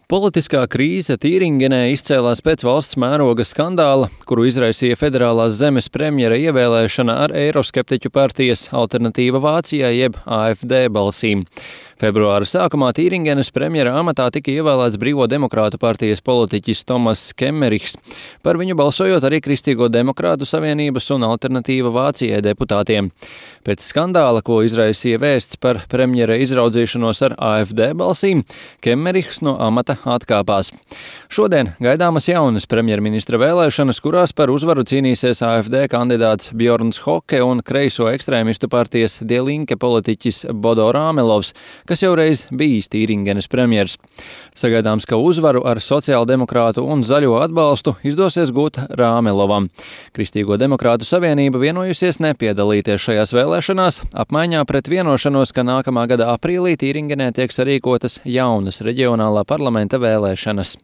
Politiskā krīze Tīringenē izcēlās pēc valsts mēroga skandāla, kuru izraisīja federālās zemes premjera ievēlēšana ar eiroskeptiķu partijas Alternatīva Vācijai jeb AfD balsīm. Februāra sākumā Tīringenes premjera amatā tika ievēlēts Brīvo demokrātu partijas politiķis Tomas Kemmerichs, par viņu balsojot arī Kristīgo demokrātu savienības un Alternatīva Vācijai deputātiem. Pēc skandāla, ko izraisīja vēsts par premjera izraudzīšanos ar AfD balsīm, Kemmerichs no amata atkāpās. Šodien gaidāmas jaunas premjerministra vēlēšanas, kurās par uzvaru cīnīsies AfD kandidāts Bjorns Hoke un kreiso ekstrēmistu partijas Die Linke politiķis Bodo Rāmelovs, kas jau reiz bijis Tīringenes premjers. Sagaidāms, ka uzvaru ar sociāldemokrātu un zaļo atbalstu izdosies gūt Rāmelovam. Kristīgo demokrātu savienība vienojusies nepiedalīties šajās vēlēšanās, apmaiņā pret vienošanos, ka nākamā gada aprīlī Tīringenē tiek sarīkotas jaunas reģionālā parlamenta vēlēšanas.